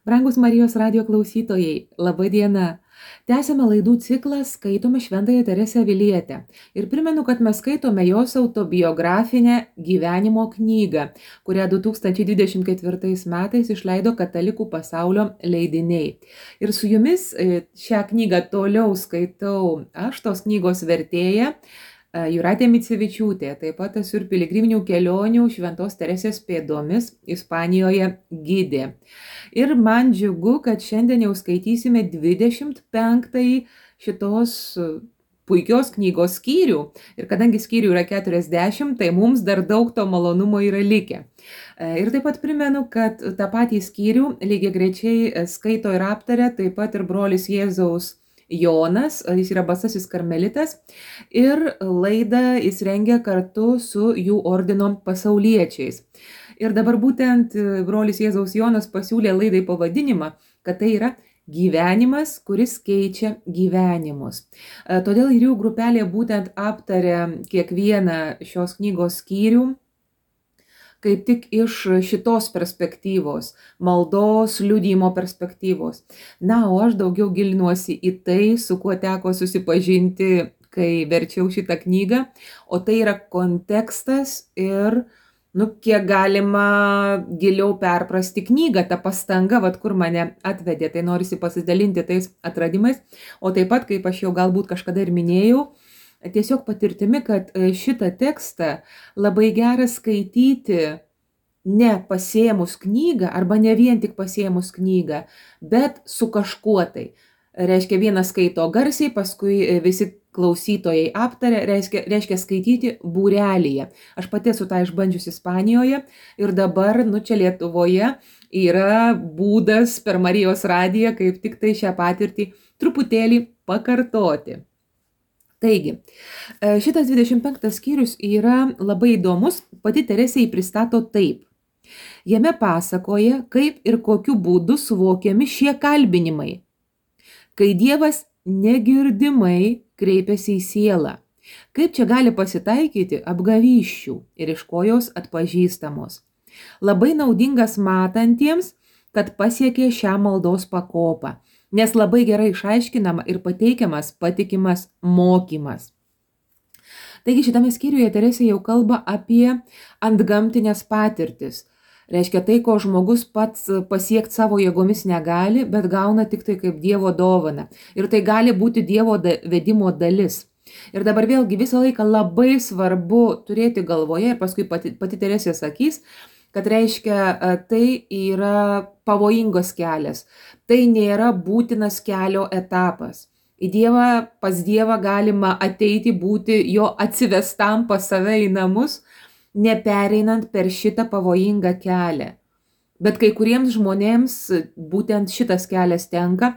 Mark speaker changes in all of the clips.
Speaker 1: Brangus Marijos radio klausytojai, laba diena. Tęsiame laidų ciklą Skaitome Šventąją Teresę Avilietę. Ir primenu, kad mes skaitome jos autobiografinę gyvenimo knygą, kurią 2024 metais išleido Katalikų pasaulio leidiniai. Ir su jumis šią knygą toliau skaitau aš, tos knygos vertėja, Jūratė Micevičiūtė, taip pat esu ir piligriminių kelionių Šventos Teresės pėdomis Ispanijoje gidė. Ir man džiugu, kad šiandien jau skaitysime 25 šitos puikios knygos skyrių. Ir kadangi skyrių yra 40, tai mums dar daug to malonumo yra likę. Ir taip pat primenu, kad tą patį skyrių lygiagrečiai skaito ir aptaria taip pat ir brolis Jėzaus Jonas, jis yra basasis karmelitas, ir laidą jis rengia kartu su jų ordino pasauliečiais. Ir dabar būtent brolis Jėzaus Jonas pasiūlė laidai pavadinimą, kad tai yra gyvenimas, kuris keičia gyvenimus. Todėl ir jų grupelė būtent aptarė kiekvieną šios knygos skyrių, kaip tik iš šitos perspektyvos, maldos, liudijimo perspektyvos. Na, o aš daugiau gilinuosi į tai, su kuo teko susipažinti, kai verčiau šitą knygą, o tai yra kontekstas ir, kiek galima giliau perprasti knygą, ta pastanga, kur mane atvedė, tai norisi pasidalinti tais atradimais, o taip pat, kaip aš jau galbūt kažkada ir minėjau, tiesiog patirtimi, kad šitą tekstą labai gera skaityti ne pasiėmus knygą arba ne vien tik pasiėmus knygą, bet su kažkuo tai. Reiškia, vienas skaito garsiai, paskui visi klausytojai aptarė, reiškia skaityti būrelyje. Aš pati esu tą išbandžiusi Ispanijoje ir dabar, čia Lietuvoje yra būdas per Marijos radiją kaip tik tai šią patirtį truputėlį pakartoti. Taigi, šitas 25 skyrius yra labai įdomus, pati Teresė jį pristato taip. Jame pasakoja, kaip ir kokiu būdu suvokiami šie kalbinimai, kai Dievas negirdimai kreipiasi į sielą, kaip čia gali pasitaikyti apgavysčių ir iš ko jos atpažįstamos. Labai naudingas matantiems, kad pasiekė šią maldos pakopą, nes labai gerai išaiškinama ir pateikiamas patikimas mokymas. Taigi šitame skyriuje Teresė jau kalba apie antgamtinės patirtis. Reiškia tai, ko žmogus pats pasiekti savo jėgomis negali, bet gauna tik tai kaip Dievo dovana. Ir tai gali būti Dievo vedimo dalis. Ir dabar vėlgi visą laiką labai svarbu turėti galvoje, ir paskui pati Teresė sakys, kad reiškia, tai yra pavojingos kelias. Tai nėra būtinas kelio etapas. Pas Dievą galima ateiti, būti jo atsivestam pas save į namus, nepereinant per šitą pavojingą kelią. Bet kai kuriems žmonėms būtent šitas kelias tenka,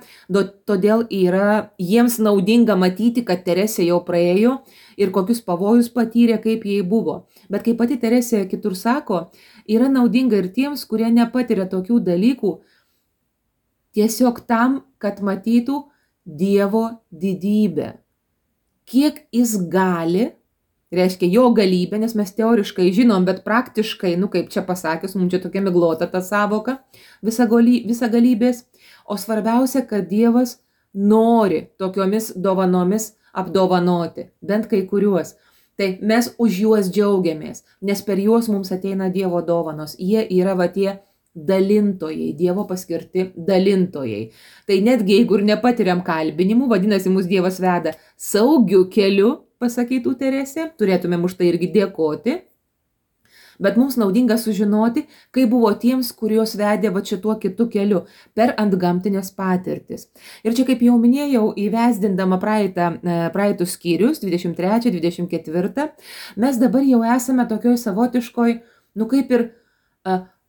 Speaker 1: todėl yra jiems naudinga matyti, kad Teresė jau praėjo ir kokius pavojus patyrė, kaip jai buvo. Bet kaip pati Teresė kitur sako, yra naudinga ir tiems, kurie nepatiria tokių dalykų, tiesiog tam, kad matytų Dievo didybę. Kiek jis gali, reiškia jo galybę, nes mes teoriškai žinom, bet praktiškai, kaip čia pasakius, mums čia tokia miglota ta savoka, visagalybės. O svarbiausia, kad Dievas nori tokiomis dovanomis apdovanoti, bent kai kuriuos. Tai mes už juos džiaugiamės, nes per juos mums ateina Dievo dovanos. Jie yra tie dalintojai, Dievo paskirti dalintojai. Tai netgi jeigu ir nepatiriam kalbinimų, vadinasi, mus Dievas veda saugiu keliu, pasakytų Teresė, turėtumėm už tai irgi dėkoti, bet mums naudinga sužinoti, kaip buvo tiems, kuriuos vedė šituo kitu keliu, per antgamtinės patirtis. Ir čia, kaip jau minėjau, įvesdindama praeitus skyrius, 23, 24, mes dabar jau esame tokioj savotiškoj, kaip ir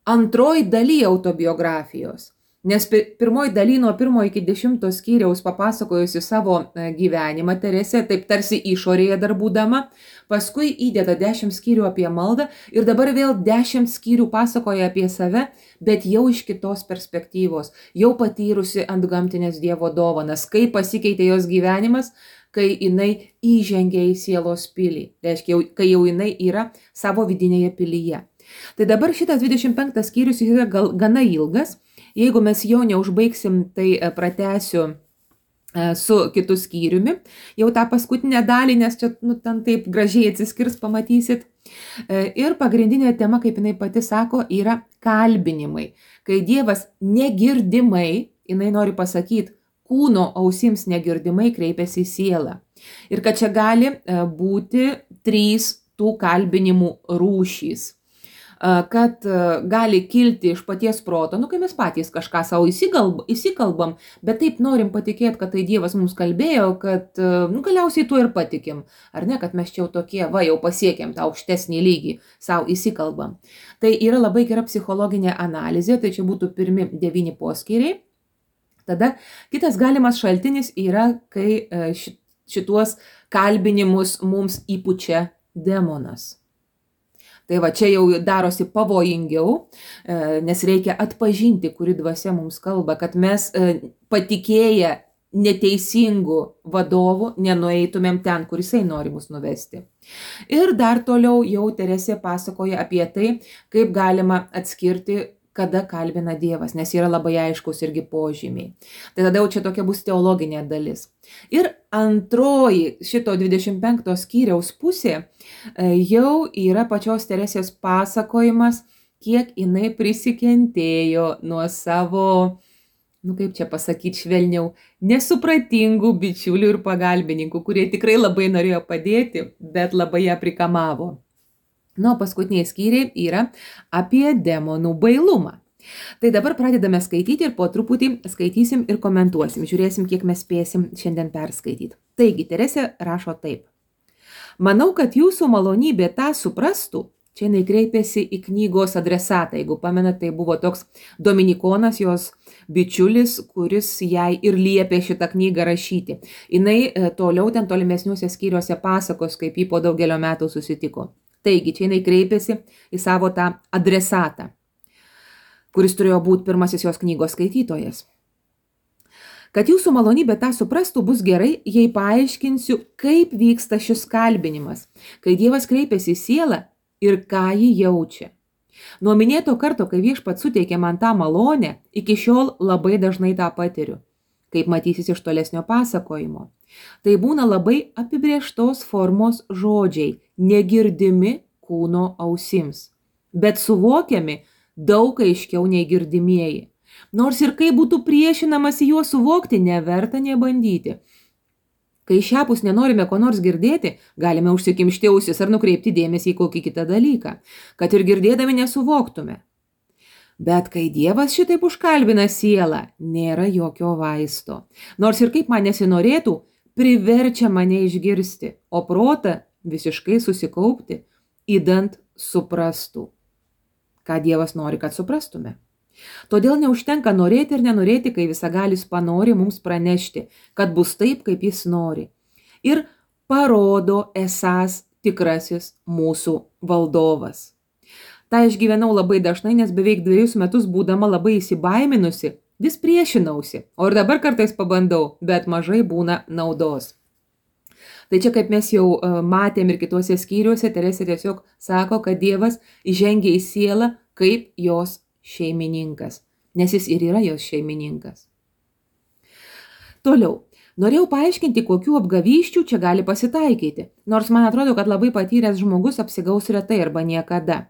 Speaker 1: antroji daly autobiografijos. Nes pirmoji daly nuo 1 iki 10 skyriaus papasakojusi savo gyvenimą Teresė, taip tarsi išorėje dar būdama, paskui įdeda 10 skyrių apie maldą ir dabar vėl 10 skyrių pasakoja apie save, bet jau iš kitos perspektyvos, jau patyrusi antgamtinės Dievo dovanas, kaip pasikeitė jos gyvenimas, kai jinai įžengė į sielos pilį, reiškia, kai jau jinai yra savo vidinėje pilyje. Tai dabar šitas 25 skyrius yra gana ilgas Jeigu mes jo neužbaigsim, tai pratęsiu su kitu skyriumi, jau tą paskutinę dalį, nes čia ten taip gražiai atsiskirs, pamatysit. Ir pagrindinė tema, kaip jinai pati sako, yra kalbinimai. Kai Dievas negirdimai, jinai nori pasakyti, kūno ausims negirdimai kreipiasi į sielą. Ir kad čia gali būti 3 tų kalbinimų rūšys. Kad gali kilti iš paties proto, kai mes patys kažką savo įsikalbam, bet taip norim patikėti, kad tai Dievas mums kalbėjo, kad galiausiai tuo ir patikim. Ar ne, kad mes čia jau tokie, jau pasiekėm tą aukštesnį lygį, savo įsikalbam. Tai yra labai gera psichologinė analizė, tai čia būtų pirmi 9 poskyriai. Tada kitas galimas šaltinis yra, kai šituos kalbinimus mums įpučia demonas. Tai va, čia jau darosi pavojingiau, nes reikia atpažinti, kuri dvasia mums kalba, kad mes patikėję neteisingų vadovų nenueitumėm ten, kur jisai nori mus nuvesti. Ir dar toliau jau Teresė pasakoja apie tai, kaip galima atskirti, kada kalbina Dievas, nes yra labai aiškus irgi požymiai. Tai tada jau čia tokia bus teologinė dalis. Ir antroji šito 25 skyriaus pusė jau yra pačios Teresės pasakojimas, kiek jinai prisikentėjo nuo savo, kaip čia pasakyti švelniau, nesupratingų bičiulių ir pagalbininkų, kurie tikrai labai norėjo padėti, bet labai ją prikamavo. Paskutiniai skyriai yra apie demonų bailumą. Tai dabar pradedame skaityti ir po truputį skaitysim ir komentuosim. Žiūrėsim, kiek mes spėsim šiandien perskaityti. Taigi, Teresė rašo taip. Manau, kad jūsų malonybė tą suprastų. Čia jinai kreipėsi į knygos adresatą. Jeigu pamenat, tai buvo toks dominikonas, jos bičiulis, kuris jai ir liepė šitą knygą rašyti. Jinai toliau ten tolimesniuose skyriuose pasakos, kaip jį po daugelio metų susitiko. Taigi, čia jinai kreipėsi į savo tą adresatą, kuris turėjo būti pirmasis jos knygos skaitytojas. Kad jūsų malonybė tą suprastų, bus gerai, jei paaiškinsiu, kaip vyksta šis kalbinimas, kai Dievas kreipiasi į sielą ir ką ji jaučia. Nuo minėto karto, kai Viešpats suteikė man tą malonę, iki šiol labai dažnai tą patiriu, kaip matysis iš tolesnio pasakojimo. Tai būna labai apibrėžtos formos žodžiai, negirdimi kūno ausims, bet suvokiami daug aiškiau nei girdimieji. Nors ir kaip būtų priešinamasi juos suvokti, neverta nebandyti. Kai šiapus nenorime ko nors girdėti, galime užsikimšti ausis ar nukreipti dėmesį į kokį kitą dalyką, kad ir girdėdami nesuvoktume. Bet kai Dievas šitaip užkalbina sielą, nėra jokio vaisto. Nors ir kaip man nesinorėtų, priverčia mane išgirsti, o protą visiškai susikaupti, idant suprastų, ką Dievas nori, kad suprastume. Todėl neužtenka norėti ir nenorėti, kai Visagalis panori mums pranešti, kad bus taip, kaip jis nori. Ir parodo esąs tikrasis mūsų valdovas. Ta išgyvenau labai dažnai, nes beveik 2 metus būdama labai įsibaiminusi, vis priešinausi, o ir dabar kartais pabandau, bet mažai būna naudos. Tai čia, kaip mes jau matėm ir kituose skyriuose, Teresė tiesiog sako, kad Dievas įžengia į sielą kaip jos šeimininkas, nes jis ir yra jos šeimininkas. Toliau, norėjau paaiškinti, kokių apgavysčių čia gali pasitaikyti, nors man atrodo, kad labai patyręs žmogus apsigaus retai arba niekada.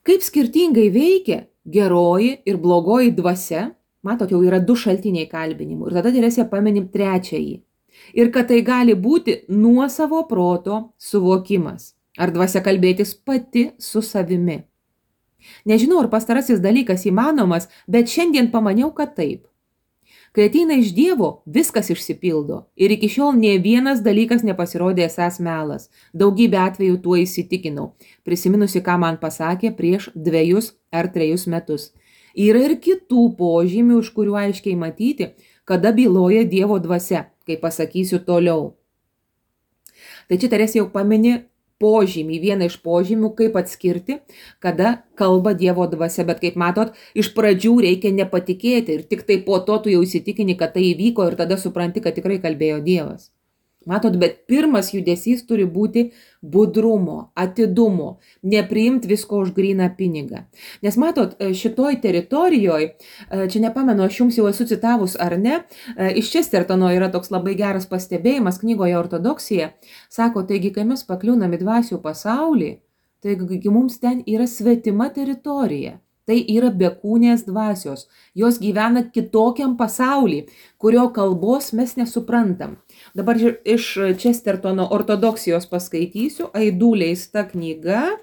Speaker 1: Kaip skirtingai veikia geroji ir blogoji dvasia, matot, jau yra 2 šaltiniai kalbinimų, ir tada Teresė paminim 3. Ir kad tai gali būti nuosavo proto suvokimas, ar dvasia kalbėtis pati su savimi. Nežinau, ar pastarasis dalykas įmanomas, bet šiandien pamaniau, kad taip. Kai ateina iš Dievo, viskas išsipildo ir iki šiol nė vienas dalykas nepasirodė esąs melas. Daugybę atvejų tuo įsitikinau, prisiminusi, ką man pasakė prieš 2 ar 3 metus. Yra ir kitų požymių, iš kurių aiškiai matyti, kada byloja Dievo dvasia, kai pasakysiu toliau. Tai čia Teresė jau pamini požymį, vieną iš požymių, kaip atskirti, kada kalba Dievo dvasia, bet kaip matot, iš pradžių reikia nepatikėti ir tik tai po to tu jau įsitikini, kad tai įvyko ir tada supranti, kad tikrai kalbėjo Dievas. Matot, bet pirmas judesys turi būti budrumo, atidumo, nepriimti visko už gryną pinigą. Nes matot, šitoj teritorijoje, čia nepamenu, aš jums jau esu citavus ar ne, iš Chestertono yra toks labai geras pastebėjimas knygoje Ortodoksija. Sako, taigi, kai mes pakliūnam į dvasių pasaulį, taigi mums ten yra svetima teritorija. Tai yra bekūnės dvasios. Jos gyvena kitokiam pasaulį, kurio kalbos mes nesuprantam. Dabar iš Chestertono ortodoksijos paskaitysiu, Aidų leista knyga,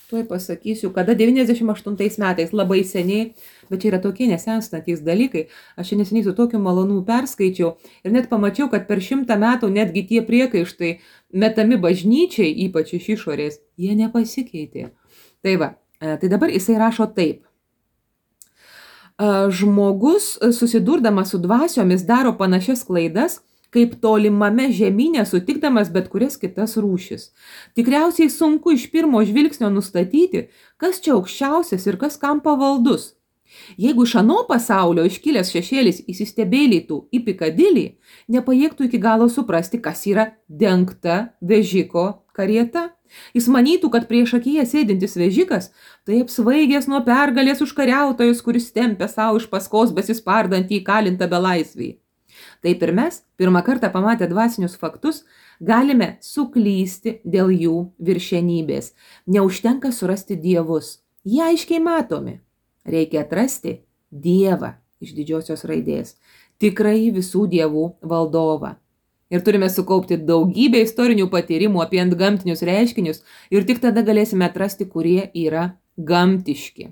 Speaker 1: tuoj pasakysiu, kada 98 metais, labai seniai, bet čia yra tokie nesenstantys dalykai. Aš čia neseniai su tokiu malonu perskaičiau ir net pamačiau, kad per 100 metų netgi tie priekaištai metami bažnyčiai, ypač iš išorės, jie nepasikeitė. Tai va. Tai dabar jisai rašo taip. Žmogus susidurdamas su dvasiomis daro panašias klaidas, kaip tolimame žemynė sutikdamas bet kurias kitas rūšis. Tikriausiai sunku iš pirmo žvilgsnio nustatyti, kas čia aukščiausias ir kas kam pavaldus. Jeigu iš ano pasaulio iškilęs šešėlis įsistebėlytų į Pikadilį, nepajėgtų iki galo suprasti, kas yra dengta vežiko karieta. Jis manytų, kad prieš akyje sėdintis vežikas, tai apsvaigęs nuo pergalės užkariautojas, kuris tempia savo iš paskos besispardantį įkalintą belaisvį. Taip ir mes, pirmą kartą pamatę dvasinius faktus, galime suklysti dėl jų viršenybės. Neužtenka surasti dievus. Jie aiškiai matomi. Reikia atrasti Dievą iš didžiosios raidės, tikrąjį visų dievų valdovą. Ir turime sukaupti daugybę istorinių patyrimų apie antgamtinius reiškinius ir tik tada galėsime atrasti, kurie yra gamtiški.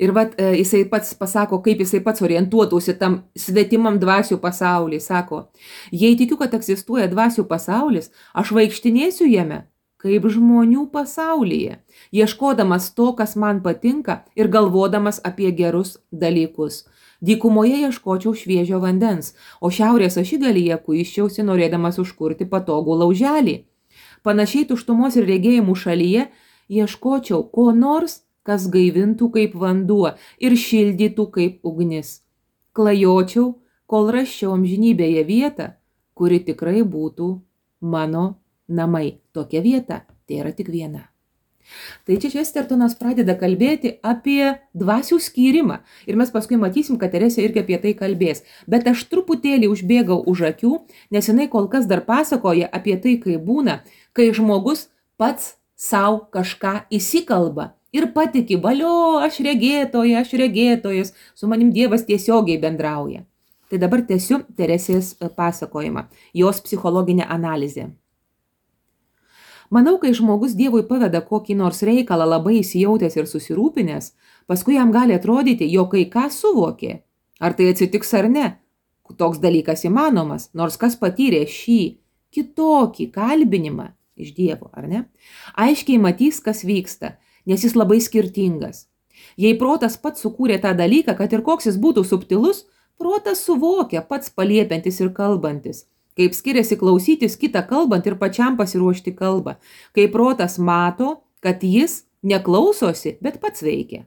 Speaker 1: Ir jisai pats pasako, kaip jisai pats orientuotųsi tam svetimam dvasių pasaulį. Sako, jei tikiu, kad egzistuoja dvasių pasaulis, aš vaikštinėsiu jame kaip žmonių pasaulyje, ieškodamas to, kas man patinka ir galvodamas apie gerus dalykus. Dykumoje ieškočiau šviežio vandens, o šiaurės ašigalyje kuiščiausi norėdamas užkurti patogų lauželį. Panašiai tuštumos ir regėjimų šalyje ieškočiau ko nors, kas gaivintų kaip vanduo ir šildytų kaip ugnis. Klajočiau, kol rasčiau amžinybėje vietą, kuri tikrai būtų mano namai. Tokia vieta, tai yra tik viena. Tai čia Chestertonas pradeda kalbėti apie dvasių skyrimą. Ir mes paskui matysim, kad Teresė irgi apie tai kalbės. Bet aš truputėlį užbėgau už akių, nes jinai kol kas dar pasakoja apie tai, kai būna, kai žmogus pats savo kažką įsikalba ir patiki, valio, aš regėtojas, su manim Dievas tiesiogiai bendrauja. Tai dabar tęsiu Teresės pasakojimą, jos psichologinę analizę. Manau, kai žmogus Dievui paveda kokį nors reikalą labai įsijautęs ir susirūpinęs, paskui jam gali atrodyti, jog kai ką suvokė. Ar tai atsitiks ar ne? Toks dalykas įmanomas, nors kas patyrė šį kitokį kalbinimą iš Dievo, ar ne? Aiškiai matys, kas vyksta, nes jis labai skirtingas. Jei protas pats sukūrė tą dalyką, kad ir koks jis būtų subtilus, protas suvokia pats paliepiantis ir kalbantis. Kaip skiriasi klausytis kitą kalbant ir pačiam pasiruošti kalbą. Kai protas mato, kad jis neklausosi, bet pats veikia.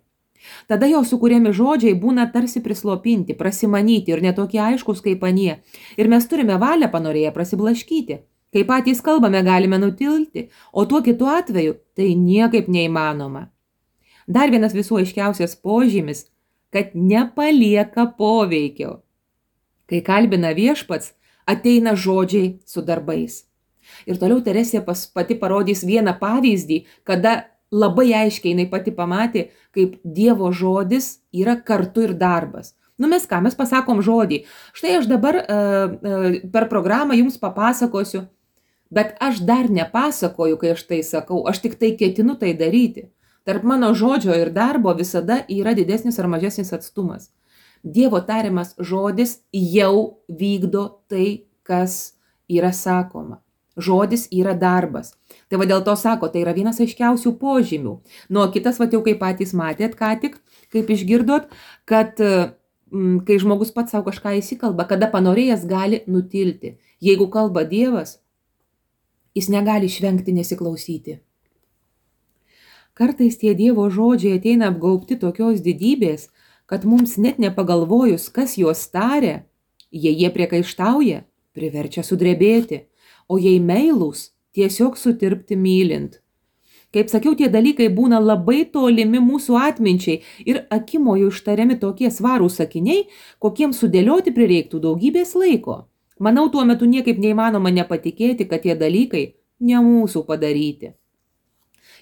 Speaker 1: Tada jo sukūrėmi žodžiai būna tarsi prislopinti, prasimanyti ir netokie aiškus kaip anie. Ir mes turime valią panorėję prasiblaškyti. Kai patys kalbame, galime nutilti, o tuo kitu atveju tai niekaip neįmanoma. Dar vienas visų aiškiausias požymis, kad nepalieka poveikio. Kai kalbina viešpats, ateina žodžiai su darbais. Ir toliau Teresė pati parodys vieną pavyzdį, kada labai aiškiai jinai pati pamatė, kaip Dievo žodis yra kartu ir darbas. Mes pasakom žodį. Štai aš dabar per programą jums papasakosiu, bet aš dar nepasakoju, kai aš tai sakau, aš tik tai ketinu tai daryti. Tarp mano žodžio ir darbo visada yra didesnis ar mažesnis atstumas. Dievo tariamas žodis jau vykdo tai, kas yra sakoma. Žodis yra darbas. Tai dėl to sako, tai yra vienas aiškiausių požymių. Kitas, jau kaip patys matėt ką tik, kaip išgirdot, kad kai žmogus pats savo kažką įsikalba, kada panorėjęs gali nutilti. Jeigu kalba Dievas, jis negali išvengti nesiklausyti. Kartais tie Dievo žodžiai ateina apgaubti tokios didybės, kad mums net nepagalvojus, kas juos taria, jie priekaištauja, priverčia sudrebėti, o jei meilūs, tiesiog sutirpti mylint. Kaip sakiau, tie dalykai būna labai tolimi mūsų atminčiai ir akimojo ištariami tokie svarūs sakiniai, kokiems sudėlioti prireiktų daugybės laiko. Manau, tuo metu niekaip neįmanoma nepatikėti, kad tie dalykai ne mūsų padaryti.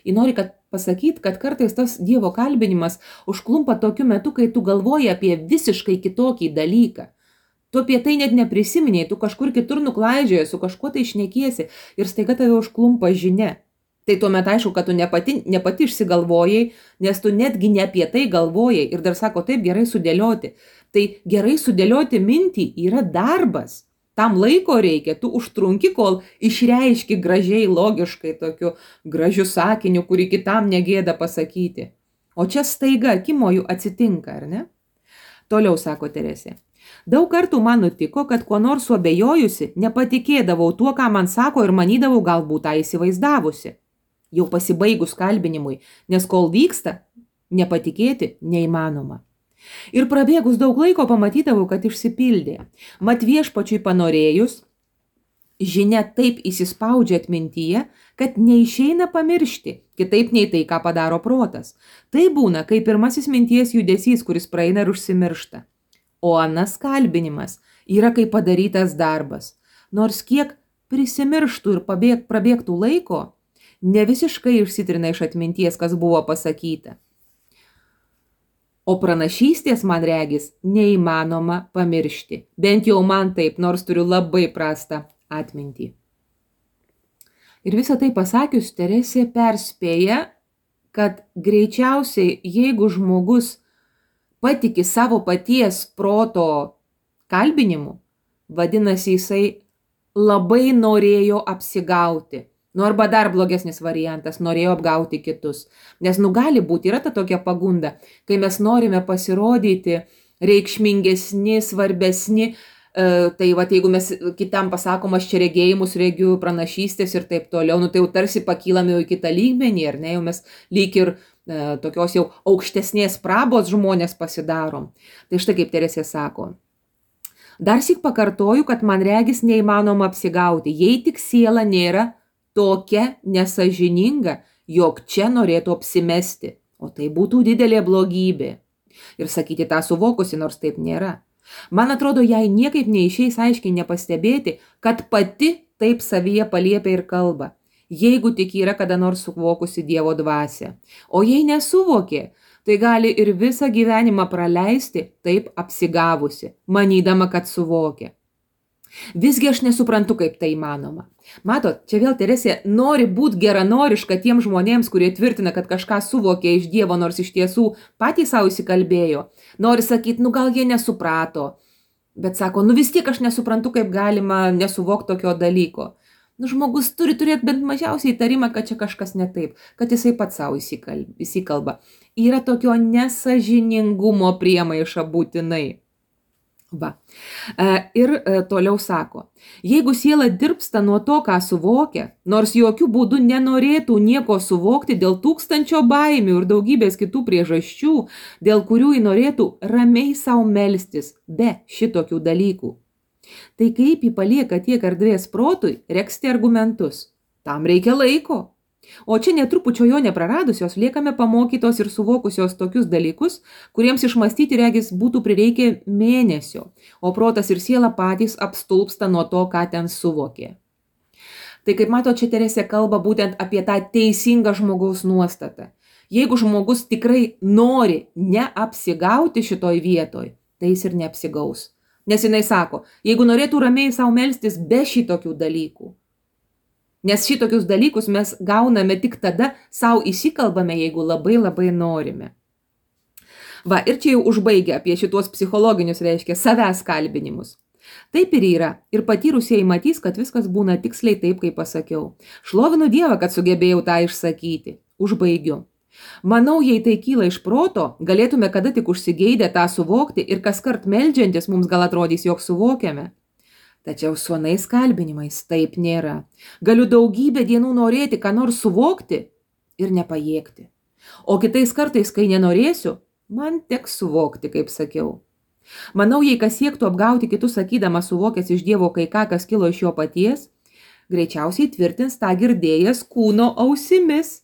Speaker 1: Ir nori pasakyti, kad kartais tas Dievo kalbinimas užklumpa tokiu metu, kai tu galvoji apie visiškai kitokį dalyką. Tu apie tai net neprisiminiai, tu kažkur kitur nuklaidžioji, su kažkuo tai šnekiesi ir staiga tave užklumpa žinia. Tai tuomet aišku, kad tu ne pati išsigalvojai, nes tu netgi ne apie tai galvojai ir dar sako taip gerai sudėlioti. Tai gerai sudėlioti mintį yra darbas. Tam laiko reikia, tu užtrunki, kol išreiški gražiai, logiškai tokiu gražiu sakiniu, kurį kitam negėda pasakyti. O čia staiga akimojų atsitinka, ar ne? Toliau sako Teresė. Daug kartų man nutiko, kad kuo nors suabejojusi, nepatikėdavau tuo, ką man sako ir manydavau galbūt tą įsivaizdavusi. Jau pasibaigus kalbinimui, nes kol vyksta, nepatikėti neįmanoma. Ir prabėgus daug laiko pamatydavau, kad išsipildė. Mat viešpačiui panorėjus, žinia taip įsispaudžia atmintyje, kad neišeina pamiršti, kitaip nei tai, ką padaro protas. Tai būna, kai pirmasis minties judesys, kuris praeina ir užsimiršta. O anas kalbinimas yra kaip padarytas darbas. Nors kiek prisimirštų ir prabėgtų laiko, ne visiškai išsitrina iš atminties, kas buvo pasakyta. O pranašystės, man regis, neįmanoma pamiršti. Bent jau man taip, nors turiu labai prastą atmintį. Ir visą tai pasakius, Teresė perspėja, kad greičiausiai, jeigu žmogus patiki savo paties proto kalbinimu, vadinasi, jisai labai norėjo apsigauti. Nu arba dar blogesnis variantas, norėjo apgauti kitus. Nes gali būti, yra ta tokia pagunda, kai mes norime pasirodyti reikšmingesni, svarbesni, tai jeigu mes kitam pasakom, aš čia regėjimus regiu, pranašystės ir taip toliau, tai jau tarsi pakylame jau į kitą lygmenį, ar ne, jau mes lyg ir tokios jau aukštesnės prabos žmonės pasidarom. Tai štai kaip Teresė sako. Darsyk pakartoju, kad man regis neįmanoma apsigauti, jei tik siela nėra tokia nesažininga, jog čia norėtų apsimesti, o tai būtų didelė blogybė. Ir sakyti tą suvokusi, nors taip nėra. Man atrodo, jai niekaip neišeis aiškiai nepastebėti, kad pati taip savyje paliepia ir kalba, jeigu tik yra kada nors suvokusi Dievo dvasią. O jei nesuvokė, tai gali ir visą gyvenimą praleisti taip apsigavusi, manydama, kad suvokė. Visgi aš nesuprantu, kaip tai įmanoma. Matot, čia vėl Teresė nori būti geranoriška tiem žmonėms, kurie tvirtina, kad kažką suvokė iš Dievo, nors iš tiesų patys savo įsikalbėjo. Nori sakyti, gal jie nesuprato. Bet sako, vis tiek aš nesuprantu, kaip galima nesuvokti tokio dalyko. Žmogus turi turėti bent mažiausiai įtarimą, kad čia kažkas ne taip, kad jisai pats savo įsikalba. Yra tokio nesažiningumo priemaiša būtinai. Va. Ir toliau sako, jeigu siela dirbsta nuo to, ką suvokia, nors jokių būdų nenorėtų nieko suvokti dėl 1000 baimių ir daugybės kitų priežasčių, dėl kurių ji norėtų ramiai savo melstis be šitokių dalykų, tai kaip ji palieka tiek erdvės protui regzti argumentus. Tam reikia laiko. O čia netrupučio jo nepraradusios liekame pamokytos ir suvokusios tokius dalykus, kuriems išmąstyti regis būtų prireikę mėnesio, o protas ir siela patys apstulpsta nuo to, ką ten suvokė. Tai kaip mato, čia Teresė kalba būtent apie tą teisingą žmogaus nuostatą. Jeigu žmogus tikrai nori neapsigauti šitoj vietoj, tai jis ir neapsigaus. Nes jinai sako, jeigu norėtų ramiai savo melstis be šitokių dalykų, nes šitokius dalykus mes gauname tik tada, savo įsikalbame, jeigu labai labai norime. Va, ir čia jau užbaigia apie šitos psichologinius, reiškia, savęs kalbinimus. Taip ir yra, ir patyrusieji matys, kad viskas būna tiksliai taip, kaip pasakiau. Šlovinu Dievą, kad sugebėjau tą išsakyti. Užbaigiu. Manau, jei tai kyla iš proto, galėtume kada tik užsigeidę tą suvokti ir kaskart meldžiantis mums gal atrodys, jog suvokiame. Tačiau su anais kalbinimais taip nėra. Galiu daugybę dienų norėti, ką nors suvokti ir nepajėgti. O kitais kartais, kai nenorėsiu, man teks suvokti, kaip sakiau. Manau, jei kas siektų apgauti kitus sakydamas suvokęs iš Dievo kai ką, kas kilo iš jo paties, greičiausiai tvirtins tą girdėjęs kūno ausimis.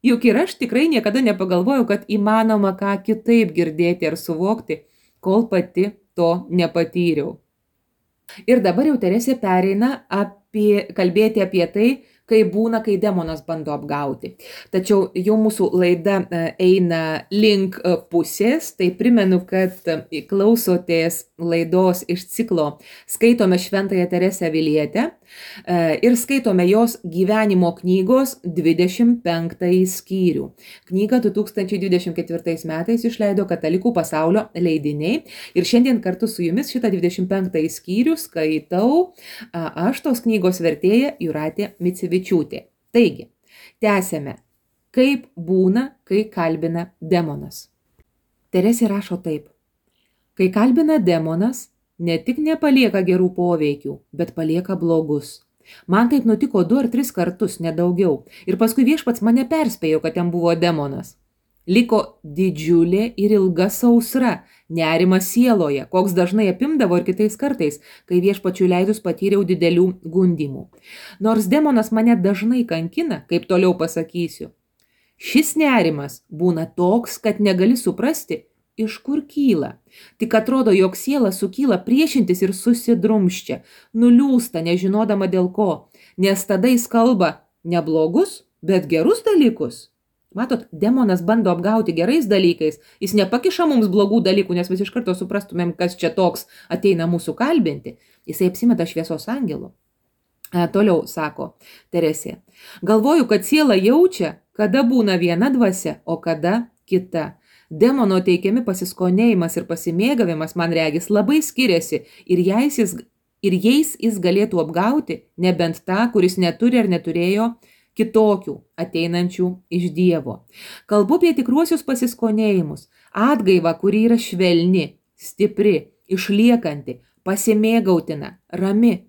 Speaker 1: Juk ir aš tikrai niekada nepagalvojau, kad įmanoma ką kitaip girdėti ar suvokti, kol pati to nepatyriau. Ir dabar jau Teresė pereina kalbėti apie tai, kai būna, kai demonas bando apgauti. Tačiau jau mūsų laida eina link pusės, tai primenu, kad klausotės laidos iš ciklo Skaitome Šventąją Teresę Avilietę ir skaitome jos gyvenimo knygos 25 skyrių. Knygą 2024 metais išleido Katalikų pasaulio leidiniai ir šiandien kartu su jumis šitą 25 skyrių skaitau aš, tos knygos vertėja Jūratė Micevičiūtė. Taigi, tęsėme. Kaip būna, kai kalbina demonas. Teresė rašo taip. Kai kalbina demonas, ne tik nepalieka gerų poveikių, bet palieka blogus. Man taip nutiko 2 ar 3 kartus, nedaugiau. Ir paskui viešpats mane perspėjo, kad ten buvo demonas. Liko didžiulė ir ilga sausra, nerimas sieloje, koks dažnai apimdavo ir kitais kartais, kai viešpačiui leidus patyriau didelių gundymų. Nors demonas mane dažnai kankina, kaip toliau pasakysiu, šis nerimas būna toks, kad negali suprasti, iš kur kyla. Tik atrodo, jog siela sukyla priešintis ir susidrumščia, nuliūsta, nežinodama dėl ko, nes tada jis kalba ne blogus, bet gerus dalykus. Matot, demonas bando apgauti gerais dalykais, jis nepakiša mums blogų dalykų, nes mes iš karto suprastumėm, kas čia toks ateina mūsų kalbinti. Jisai apsimeta šviesos angelu. Toliau sako Teresė. Galvoju, kad siela jaučia, kada būna viena dvasia, o kada kita. Demono teikiami pasiskonėjimas ir pasimėgavimas, man regis, labai skiriasi ir jais jis galėtų apgauti, nebent tą, kuris neturi ar neturėjo kitokių ateinančių iš Dievo. Kalbu apie tikruosius pasiskonėjimus, atgaivą, kuri yra švelni, stipri, išliekanti, pasimėgautina, rami.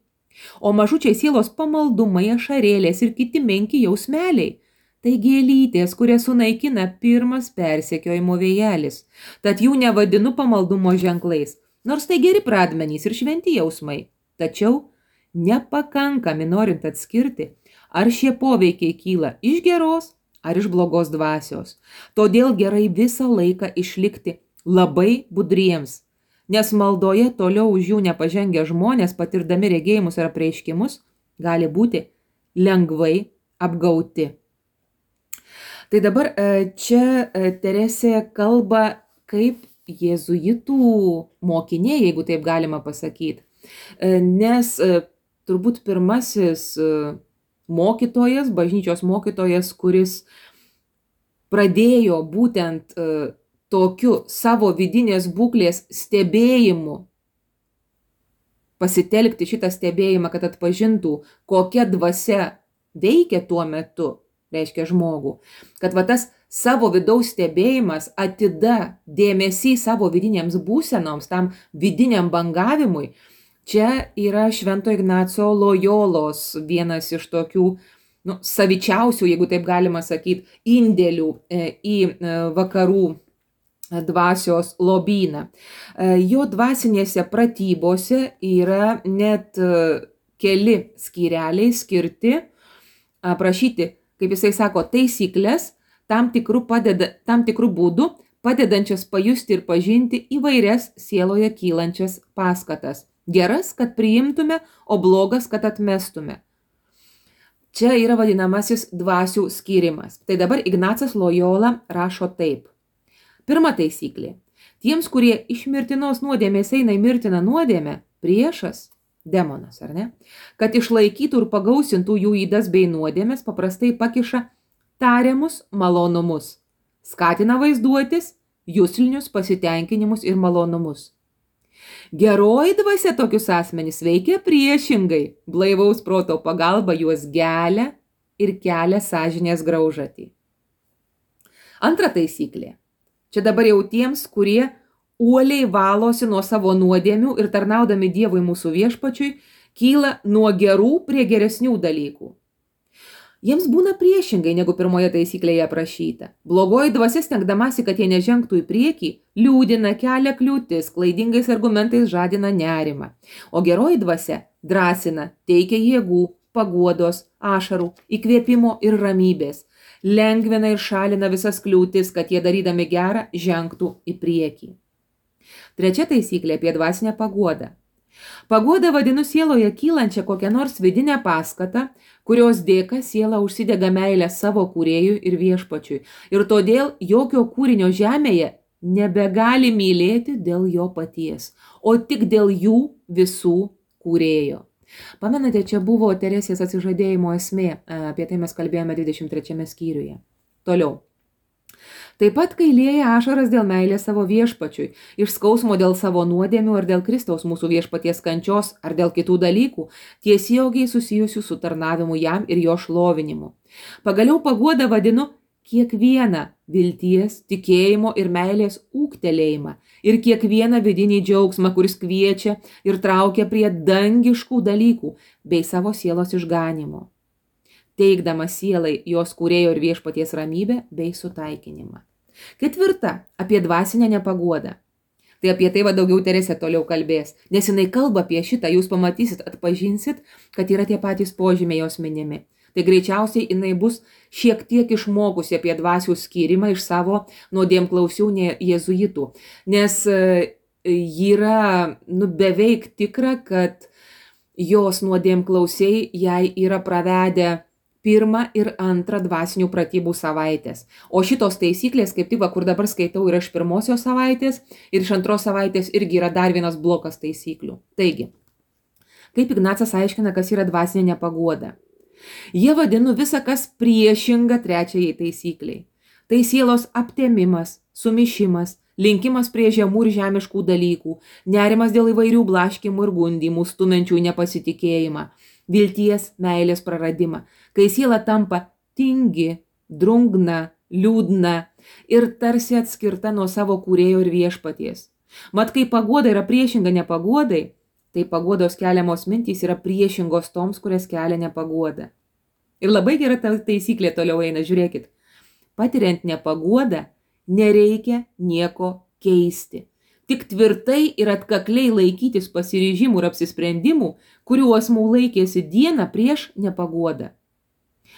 Speaker 1: O mažučiai sielos pamaldumai, ašarėlės ir kiti menki jausmeliai. Tai gėlytės, kurias sunaikina pirmas persekiojimo vėjelis. Tad jų nevadinu pamaldumo ženklais, nors tai geri pradmenys ir šventi jausmai. Tačiau nepakankami norint atskirti, ar šie poveikiai kyla iš geros ar iš blogos dvasios. Todėl gerai visą laiką išlikti labai budriems, nes maldoje toliau už jų nepažengę žmonės, patirdami regėjimus ar apreiškimus, gali būti lengvai apgauti. Tai dabar čia Teresė kalba kaip jėzuitų mokinė, jeigu taip galima pasakyti. Nes turbūt pirmasis mokytojas, bažnyčios mokytojas, kuris pradėjo būtent tokiu savo vidinės būklės stebėjimu, pasitelkti šitą stebėjimą, kad atpažintų, kokia dvasia veikia tuo metu, reiškia žmogų, kad va tas savo vidaus stebėjimas, atida dėmesys savo vidinėms būsenoms, tam vidiniam bangavimui, čia yra Švento Ignaco Lojolos vienas iš tokių savičiausių, jeigu taip galima sakyti, indėlių į vakarų dvasios lobyną. Jo dvasinėse pratybose yra net keli skyreliai skirti aprašyti, kaip jisai sako, taisyklės tam tikrų būdų padedančias pajusti ir pažinti įvairias sieloje kylančias paskatas. Geras, kad priimtume, o blogas, kad atmestume. Čia yra vadinamasis dvasių skyrimas. Tai dabar Ignacas Lojola rašo taip. Pirma taisyklė. Tiems, kurie iš mirtinos nuodėmės eina į mirtiną nuodėmę, priešas, demonas, ar ne? Kad išlaikytų ir pagausintų jų ydas bei nuodėmės, paprastai pakiša tariamus malonumus. Skatina vaizduotis, juslinius pasitenkinimus ir malonumus. Geroji dvasia tokius asmenys veikia priešingai, blaivaus proto pagalba juos gelia ir kelia sąžinės graužatį. Antra taisyklė. Čia dabar jau tiems, kurie uoliai valosi nuo savo nuodėmių ir tarnaudami Dievui mūsų viešpačiui, kyla nuo gerų prie geresnių dalykų. Jiems būna priešingai, negu pirmoje taisyklėje aprašyta. Blogoji dvasia, stengdamasi, kad jie nežengtų į priekį, liūdina, kelia kliūtis, klaidingais argumentais žadina nerimą. O geroji dvasia drąsina, teikia jėgų, paguodos, ašarų, įkvėpimo ir ramybės, lengvina ir šalina visas kliūtis, kad jie darydami gerą žengtų į priekį. Trečia taisyklė apie dvasinę paguodą. Paguoda vadinu sieloje kylančią kokią nors vidinę paskatą, kurios dėka siela užsidega meilę savo kūrėjui ir viešpačiui. Ir todėl jokio kūrinio žemėje nebegali mylėti dėl jo paties, o tik dėl jų visų kūrėjo. Pamenate, čia buvo Teresės atsižadėjimo esmė, apie tai mes kalbėjome 23 skyriuje. Toliau. Taip pat, kai lieja ašaras dėl meilės savo viešpačiui, iš skausmo dėl savo nuodėmių ar dėl Kristaus mūsų viešpaties kančios ar dėl kitų dalykų, tiesiogiai susijusių su tarnavimu jam ir jo šlovinimu. Pagaliau paguodą vadinu kiekvieną vilties, tikėjimo ir meilės ūgtelėjimą ir kiekvieną vidinį džiaugsmą, kuris kviečia ir traukia prie dangiškų dalykų bei savo sielos išganimo, teikdama sielai jos kūrėjo ir viešpaties ramybę bei sutaikinimą. Ketvirta, apie dvasinę nepaguodą. Tai apie tai daugiau Teresė toliau kalbės, nes jinai kalba apie šitą, jūs pamatysit, atpažinsit, kad yra tie patys požymiai jos minimi. Tai greičiausiai jinai bus šiek tiek išmokusi apie dvasių skyrimą iš savo nuodėmklausių jėzuitų, nes yra beveik tikra, kad jos nuodėmklausiai jai yra pravedę pirmą ir antrą dvasinių pratybų savaitės. O šitos taisyklės, kaip tik, kur dabar skaitau, yra iš pirmosios savaitės ir iš antros savaitės irgi yra dar vienas blokas taisyklių. Taigi, kaip Ignacas aiškina, kas yra dvasinė nepaguoda? Jie vadinu visą, kas priešinga trečiajai taisykliai. Tai sielos aptemimas, sumišimas, linkimas prie žemų ir žemiškų dalykų, nerimas dėl įvairių blaškimų ir gundymų, stumenčių nepasitikėjimą, vilties, meilės praradimą, kai siela tampa tingi, drungna, liūdna ir tarsi atskirta nuo savo kūrėjo ir viešpaties. Mat, kai paguoda yra priešinga nepaguodai, tai paguodos keliamos mintys yra priešingos toms, kurias kelia nepaguoda. Ir labai gera ta taisyklė toliau eina, žiūrėkit. Patiriant nepaguodą, nereikia nieko keisti. Tik tvirtai ir atkakliai laikytis pasiryžimų ir apsisprendimų, kurių asmuo laikėsi dieną prieš nepaguodą.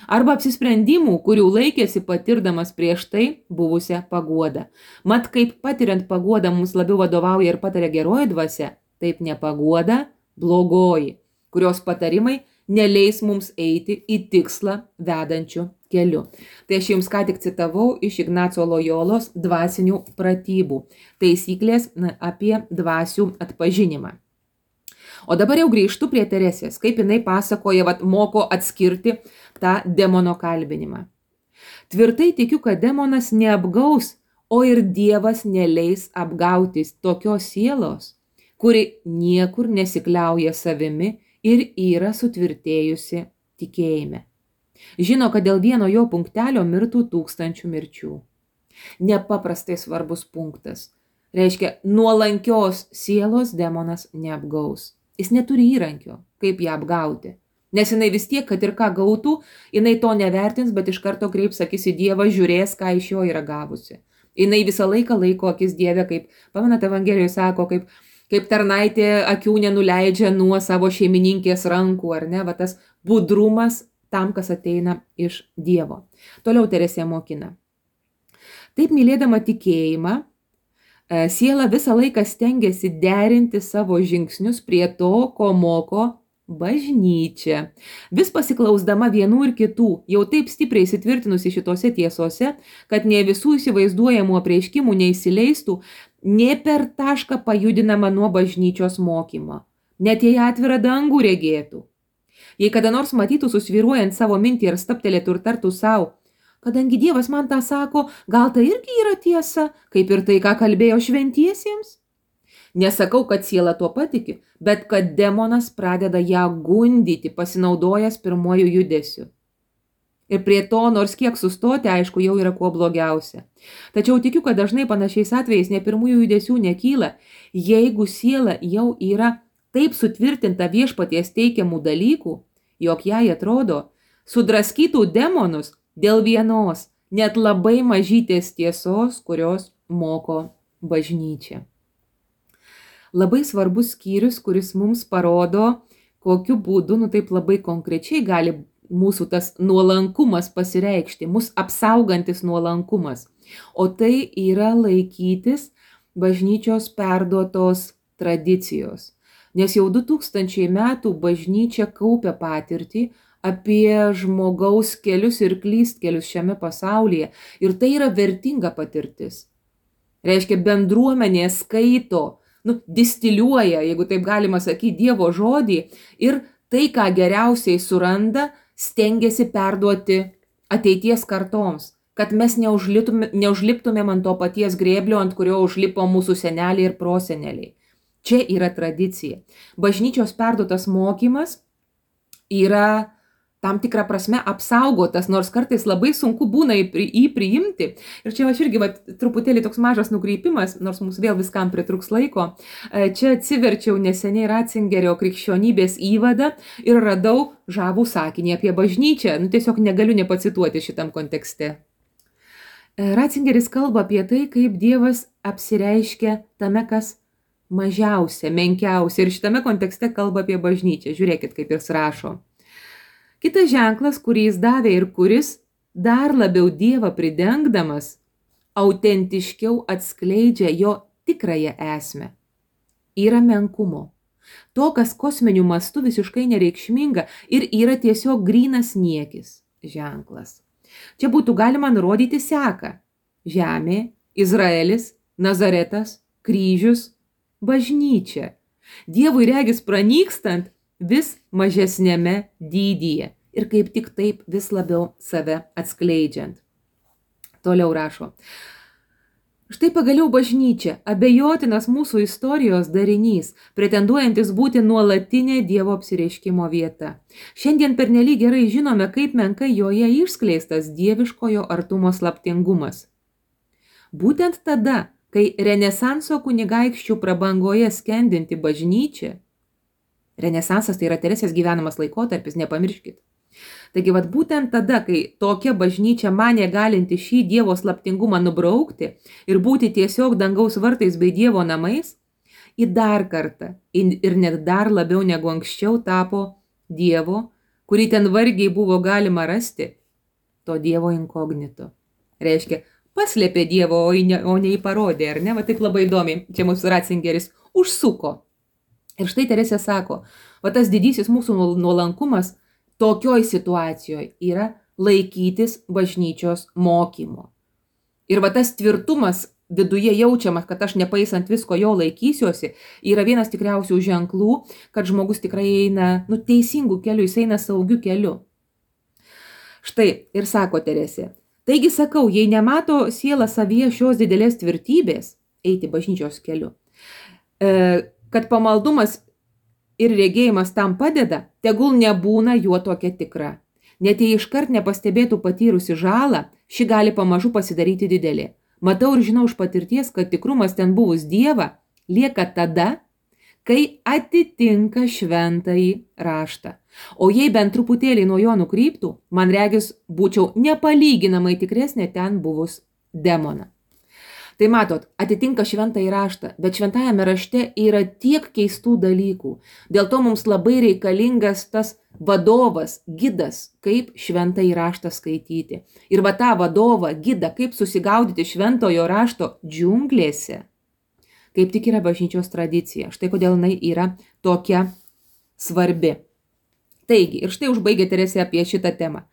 Speaker 1: Arba apsisprendimų, kurių laikėsi patirdamas prieš tai buvusią paguodą. Mat, kaip patiriant paguodą mums labiau vadovauja ir pataria geroji dvasia, taip nepaguoda blogoji, kurios patarimai neleis mums eiti į tikslą vedančių keliu. Tai aš jums ką tik citavau iš Ignaco Lojolos dvasinių pratybų. Taisyklės apie dvasių atpažinimą. O dabar jau grįžtu prie Teresės, kaip jinai pasakoja, moko atskirti tą demono kalbinimą. Tvirtai tikiu, kad demonas neapgaus, o ir Dievas neleis apgautis tokios sielos, kuri niekur nesikliauja savimi ir yra sutvirtėjusi tikėjime. Žino, kad dėl vieno jo punktelio mirtų 1000 mirčių. Nepaprastai svarbus punktas. Reiškia, nuolankios sielos demonas neapgaus. Jis neturi įrankio, kaip ją apgauti. Nes jinai vis tiek, kad ir ką gautų, jinai to nevertins, bet iš karto kreips akis į Dievą, žiūrės, ką iš jo yra gavusi. Jinai visą laiką laiko akis Dieve, kaip, pamenat, Evangelijoje sako, kaip tarnaitė akių nenuleidžia nuo savo šeimininkės rankų, ar ne, tas budrumas tam, kas ateina iš Dievo. Toliau Teresė mokina. Taip mylėdama tikėjimą, siela visą laiką stengiasi derinti savo žingsnius prie to, ko moko bažnyčia. Vis pasiklausdama vienų ir kitų, jau taip stipriai įsitvirtinusi šitose tiesose, kad ne visų įsivaizduojamų apreiškimų neįsileistų, nė per tašką pajudinama nuo bažnyčios mokymo. Net jei atvirą dangų regėtų. Jei kada nors matytų susvyruojant savo mintį ir staptelėtų ir tartų savo, kadangi Dievas man tą sako, gal tai irgi yra tiesa, kaip ir tai, ką kalbėjo šventiesiems? Nesakau, kad siela tuo patiki, bet kad demonas pradeda ją gundyti, pasinaudojęs pirmuoju judesiu. Ir prie to, nors kiek sustoti, aišku, jau yra kuo blogiausia. Tačiau tikiu, kad dažnai panašiais atvejais ne pirmųjų judesių nekyla, jeigu siela jau yra taip sutvirtinta viešpaties teikiamų dalykų, jog jai atrodo, sudraskytų demonus dėl vienos, net labai mažytės tiesos, kurios moko bažnyčia. Labai svarbus skyrius, kuris mums parodo, kokiu būdu, taip labai konkrečiai gali mūsų tas nuolankumas pasireikšti, mūsų apsaugantis nuolankumas. O tai yra laikytis bažnyčios perduotos tradicijos. Nes jau 2000 metų bažnyčia kaupia patirtį apie žmogaus kelius ir klystkelius šiame pasaulyje. Ir tai yra vertinga patirtis. Reiškia, bendruomenė skaito, distiliuoja, jeigu taip galima sakyti, Dievo žodį ir tai, ką geriausiai suranda, stengiasi perduoti ateities kartoms, kad mes neužliptumėm ant to paties grėblio, ant kurio užlipo mūsų seneliai ir proseneliai. Čia yra tradicija. Bažnyčios perduotas mokymas yra tam tikrą prasme apsaugotas, nors kartais labai sunku būna jį priimti. Ir čia aš irgi truputėlį toks mažas nukreipimas, nors mums vėl viskam pritruks laiko. Čia atsiverčiau neseniai Ratzingerio krikščionybės įvadą ir radau žavų sakinį apie bažnyčią. Tiesiog negaliu nepacituoti šitam kontekste. Ratzingeris kalba apie tai, kaip Dievas apsireiškia tame, kas mažiausia, menkiausia. Ir šitame kontekste kalba apie bažnyčią. Žiūrėkit, kaip jis rašo. Kitas ženklas, kurį jis davė ir kuris dar labiau Dievą pridengdamas, autentiškiau atskleidžia jo tikrąją esmę, yra menkumo. To, kas kosminiu mastu visiškai nereikšminga ir yra tiesiog grynas niekis ženklas. Čia būtų galima nurodyti seką: žemė, Izraelis, Nazaretas, kryžius, bažnyčia. Dievui regis pranykstant vis mažesnėme dydyje ir kaip tik taip vis labiau save atskleidžiant. Toliau rašo. Štai pagaliau bažnyčia, abejotinas mūsų istorijos darinys, pretenduojantis būti nuolatinė Dievo apsireiškimo vieta. Šiandien pernelyg gerai žinome, kaip menkai joje išskleistas dieviškojo artumo slaptingumas. Būtent tada, kai Renesanso kunigaikščių prabangoje skendinti bažnyčia, Renesansas tai yra Teresės gyvenamas laikotarpis, nepamirškit. Taigi, būtent tada, kai tokia bažnyčia manė galinti šį Dievo slaptingumą nubraukti ir būti tiesiog dangaus vartais bei Dievo namais, į dar kartą ir net dar labiau negu anksčiau tapo Dievo, kurį ten vargiai buvo galima rasti, to Dievo inkognito. Reiškia, paslėpė Dievo, o ne jį parodė, ar ne? Taip labai įdomiai, čia mūsų Ratzingeris užsuko. Ir štai Teresė sako, tas didysis mūsų nuolankumas tokioj situacijoje yra laikytis bažnyčios mokymo. Ir tas tvirtumas viduje jaučiamas, kad aš nepaisant visko jo laikysiuosi, yra vienas tikriausių ženklų, kad žmogus tikrai eina teisingų kelių, jis eina saugiu keliu. Štai ir sako Teresė, taigi sakau, jei nemato siela savyje šios didelės tvirtybės, eiti bažnyčios keliu, kad pamaldumas ir regėjimas tam padeda, tegul nebūna juo tokia tikra. Net jei iškart nepastebėtų patyrusi žalą, ši gali pamažu pasidaryti didelė. Matau ir žinau iš patirties, kad tikrumas ten buvus Dievą lieka tada, kai atitinka šventąjį raštą. O jei bent truputėlį nuo jo nukryptų, man regis būčiau nepalyginamai tikresnė ten buvus demoną. Tai matot, atitinka šventąjį raštą, bet šventajame rašte yra tiek keistų dalykų. Dėl to mums labai reikalingas tas vadovas, gidas, kaip šventąjį raštą skaityti. Ir tą vadovą, gidą, kaip susigaudyti šventojo rašto džiunglėse, kaip tik yra bažnyčios tradicija. Štai kodėl jinai yra tokia svarbi. Taigi, ir štai užbaigė Teresė apie šitą temą.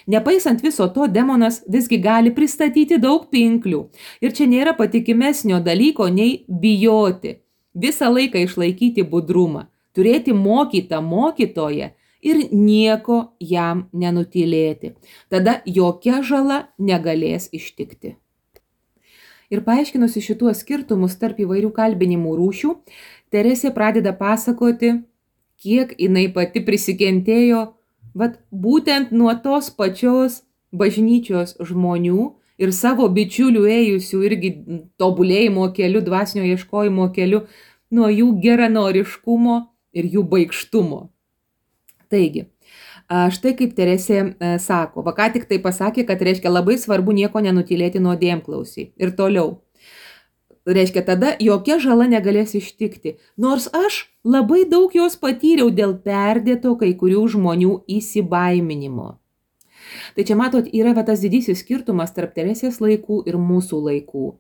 Speaker 1: Nepaisant viso to, demonas visgi gali pristatyti daug pinklių. Ir čia nėra patikimesnio dalyko nei bijoti. Visą laiką išlaikyti budrumą, turėti mokytą mokytoją ir nieko jam nenutylėti. Tada jokia žala negalės ištikti. Ir paaiškinusi šituos skirtumus tarp įvairių kalbinimų rūšių, Teresė pradeda pasakoti, kiek jinai pati prisikentėjo, būtent nuo tos pačios bažnyčios žmonių ir savo bičiulių ėjusių irgi tobulėjimo keliu, dvasinio ieškojimo keliu, nuo jų geranoriškumo ir jų baikštumo. Taigi, Štai kaip Teresė sako, va ką tik tai pasakė, kad reiškia labai svarbu nieko nenutylėti nuodėmklausį. Ir toliau. Reiškia, tada jokia žala negalės ištikti, nors aš labai daug jos patyriau dėl perdėto kai kurių žmonių įsibaiminimo. Tai čia matot, yra tas didysis skirtumas tarp Teresės laikų ir mūsų laikų.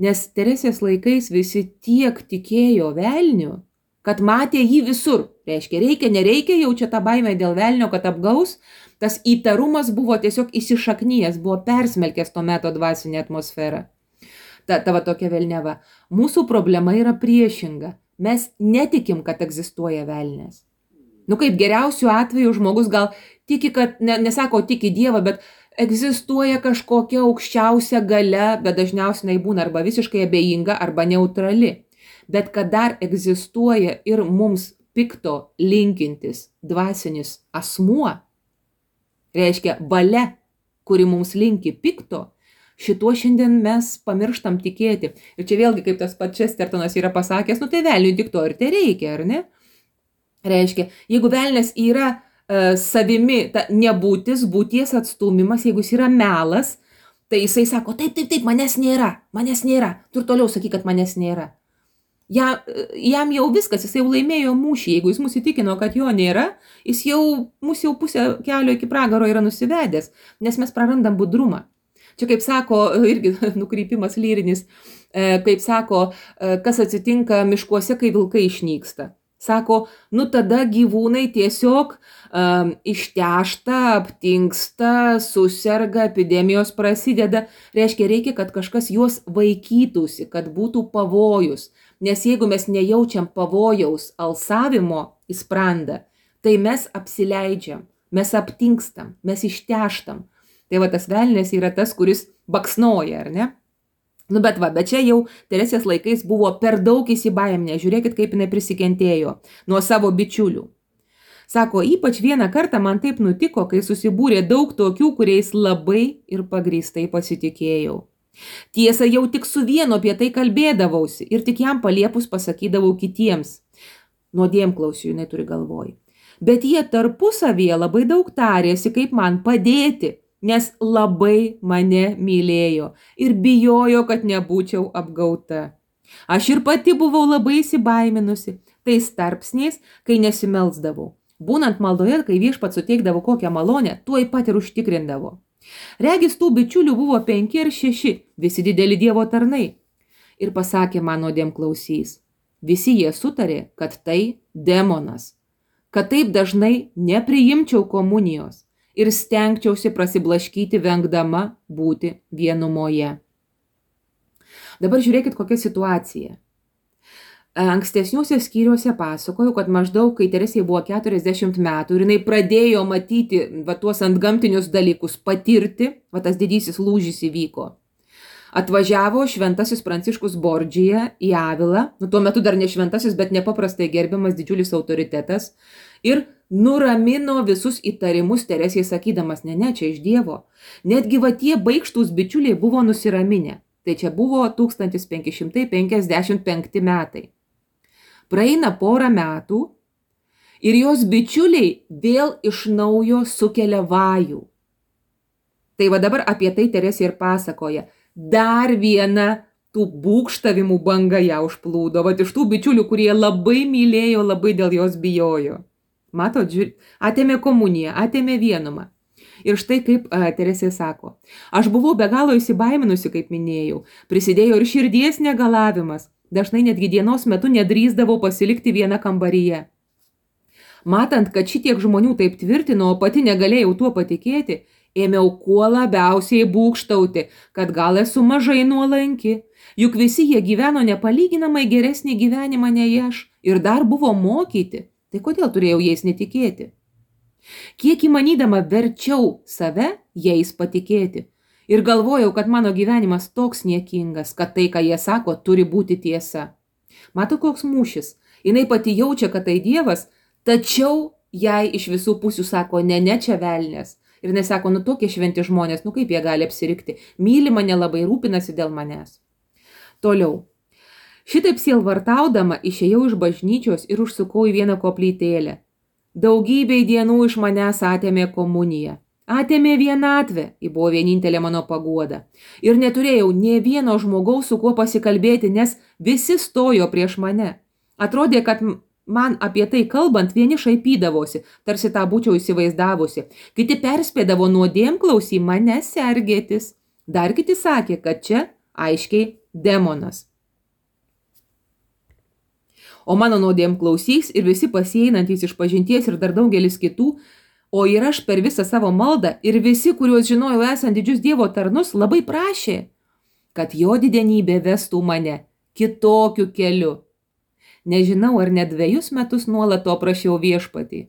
Speaker 1: Nes Teresės laikais visi tiek tikėjo velniu, kad matė jį visur. Reiškia, reikia, nereikia, jau čia tą baimę dėl velnio, kad apgaus. Tas įtarumas buvo tiesiog įsišaknyjęs, buvo persmelkęs to meto dvasinę atmosferą. Tava tokia velneva. Mūsų problema yra priešinga. Mes netikim, kad egzistuoja velnės. Kaip geriausiu atveju žmogus gal tiki, kad, nesako tiki Dievą, bet egzistuoja kažkokia aukščiausia galia, bet dažniausiai būna arba visiškai abejinga, arba neutrali. Bet kad dar egzistuoja ir mums pikto linkintis dvasinis asmuo, reiškia valia, kuri mums linki pikto, šituo šiandien mes pamirštam tikėti. Ir čia vėlgi, kaip tas pats Chestertonas yra pasakęs, tai velniui tik to ir te reikia, ar ne? Reiškia, jeigu velnias yra savimi, ta nebūtis, būties atstumimas, jeigu jis yra melas, tai jisai sako, taip, manęs nėra, tu ir toliau sakyk, kad manęs nėra. Jam jau viskas, jis jau laimėjo mūšį, jeigu jis mus įtikino, kad jo nėra, jis mus jau pusę kelio iki pragaro yra nusivedęs, nes mes prarandam budrumą. Čia kaip sako, irgi nukrypimas lyrinis, kaip sako, kas atsitinka miškuose, kai vilkai išnyksta. Sako, tada gyvūnai tiesiog ištešta, aptingsta, suserga, epidemijos prasideda. Reiškia, reikia, kad kažkas juos vaikytųsi, kad būtų pavojus. Nes jeigu mes nejaučiam pavojaus alsavimo į sprandą, tai mes apsileidžiam, mes aptingstam, mes išteštam. Tai tas velnias yra tas, kuris baksnoja, ar ne? Bet čia jau Teresės laikais buvo per daug įsibaiminę. Žiūrėkit, kaip jinai prisikentėjo nuo savo bičiulių. Sako, ypač vieną kartą man taip nutiko, kai susibūrė daug tokių, kuriais labai ir pagrįstai pasitikėjau. Tiesa, jau tik su vienu apie tai kalbėdavausi ir tik jam paliepus pasakydavau kitiems. Nuodėmklausiu, jinai turi galvoj. Bet jie tarpusavyje labai daug tarėsi, kaip man padėti, nes labai mane mylėjo ir bijojo, kad nebūčiau apgauta. Aš ir pati buvau labai įsibaiminusi, tais tarpsniais, kai nesimelsdavau. Būnant maldoje, kai viešpats suteikdavo kokią malonę, tuoj pat ir užtikrindavo. Regis tų bičiulių buvo 5 ar 6, visi dideli Dievo tarnai. Ir pasakė man nuodėmklausys, visi jie sutarė, kad tai demonas, kad taip dažnai nepriimčiau komunijos ir stengčiausi prasiblaškyti vengdama būti vienumoje. Dabar žiūrėkit, kokia situacija. Ankstesniuose skyriuose pasakoju, kad maždaug, kai Teresei buvo 40 metų ir jinai pradėjo matyti tuos antgamtinius dalykus, patirti, tas didysis lūžis įvyko. Atvažiavo šventasis Pranciškus Bordžija į Avilą, tuo metu dar ne šventasis, bet nepaprastai gerbiamas didžiulis autoritetas, ir nuramino visus įtarimus Teresei sakydamas, ne, čia iš Dievo. Netgi tie baikštūs bičiuliai buvo nusiraminę. Tai čia buvo 1555 metai. Praeina porą metų ir jos bičiuliai vėl iš naujo sukelia vajų. Tai dabar apie tai Teresė ir pasakoja. Dar viena tų būgštavimų banga ją užplūdo. Iš tų bičiulių, kurie labai mylėjo, labai dėl jos bijojo. Matot, atėmė komuniją, atėmė vienumą. Ir štai kaip Teresė sako. Aš buvau be galo įsibaiminusi, kaip minėjau. Prisidėjo ir širdies negalavimas. Dažnai netgi dienos metu nedrįsdavau pasilikti vieną kambaryje. Matant, kad šitiek žmonių taip tvirtino, o pati negalėjau tuo patikėti, ėmiau kuo labiausiai būgštauti, kad gal esu mažai nuolanki. Juk visi jie gyveno nepalyginamai geresnį gyvenimą nei aš ir dar buvo mokyti. Tai kodėl turėjau jais netikėti? Kiek įmanydama verčiau save jais patikėti. Ir galvojau, kad mano gyvenimas toks niekingas, kad tai, ką jie sako, turi būti tiesa. Mato, koks mūšis. Jinai pati jaučia, kad tai Dievas, tačiau jai iš visų pusių sako, ne, čia velnias. Ir jinai sako, tokie šventi žmonės, kaip jie gali apsirikti. Myli mane labai, rūpinasi dėl manęs. Toliau. Šitaip sielvartaudama išėjau iš bažnyčios ir užsukau į vieną koplytėlę. Daugybei dienų iš manęs atėmė komuniją. Atėmė vienatvę, ji buvo vienintelė mano paguoda. Ir neturėjau nė vieno žmogaus, su kuo pasikalbėti, nes visi stojo prieš mane. Atrodė, kad man apie tai kalbant vieni šaipydavosi, tarsi tą būčiau įsivaizdavusi. Kiti perspėdavo nuodėmklausį mane sergėtis. Dar kiti sakė, kad čia aiškiai demonas. O mano nuodėmklausys ir visi pasieinantys iš pažinties ir dar daugelis kitų, o ir aš per visą savo maldą ir visi, kuriuos žinojau esant didžius Dievo tarnus, labai prašė, kad jo didenybė vestų mane kitokiu keliu. Nežinau, ar net 2 metus nuolat to prašiau viešpatį.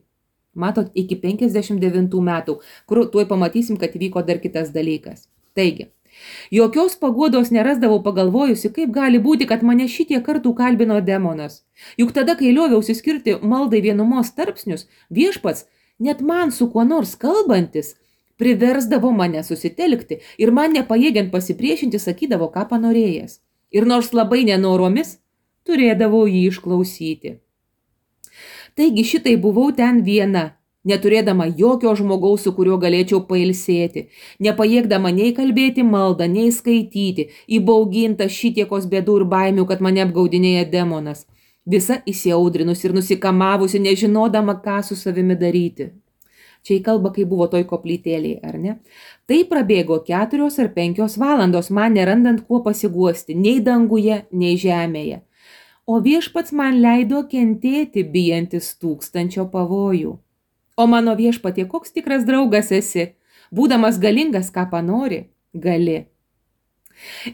Speaker 1: Matot, iki 59 metų, kur tuoj pamatysim, kad vyko dar kitas dalykas. Taigi, jokios paguodos nerasdavau pagalvojusi, kaip gali būti, kad mane šitie kartų kalbino demonas. Juk tada, kai lioviausi skirti maldai vienumos tarpsnius, viešpats, net man su kuo nors kalbantis, priversdavo mane susitelkti ir man nepajėgiant pasipriešinti sakydavo, ką panorėjęs. Ir nors labai nenoromis, turėdavau jį išklausyti. Taigi šitai buvau ten viena, neturėdama jokio žmogaus, su kuriuo galėčiau pailsėti, nepajėgdama nei kalbėti maldą, nei skaityti, įbauginta šitiekos bėdų ir baimių, kad mane apgaudinėja demonas. Visa įsiaudrinus ir nusikamavusi, nežinodama, ką su savimi daryti. Čia į kalbą, kai buvo toj koplytėlėje, ar ne? Tai prabėgo 4 ar 5 valandos, man nerandant kuo pasiguosti, nei danguje, nei žemėje. O viešpats man leido kentėti, bijantis 1000 pavojų. O mano viešpatie, koks tikras draugas esi, būdamas galingas, ką panori, gali.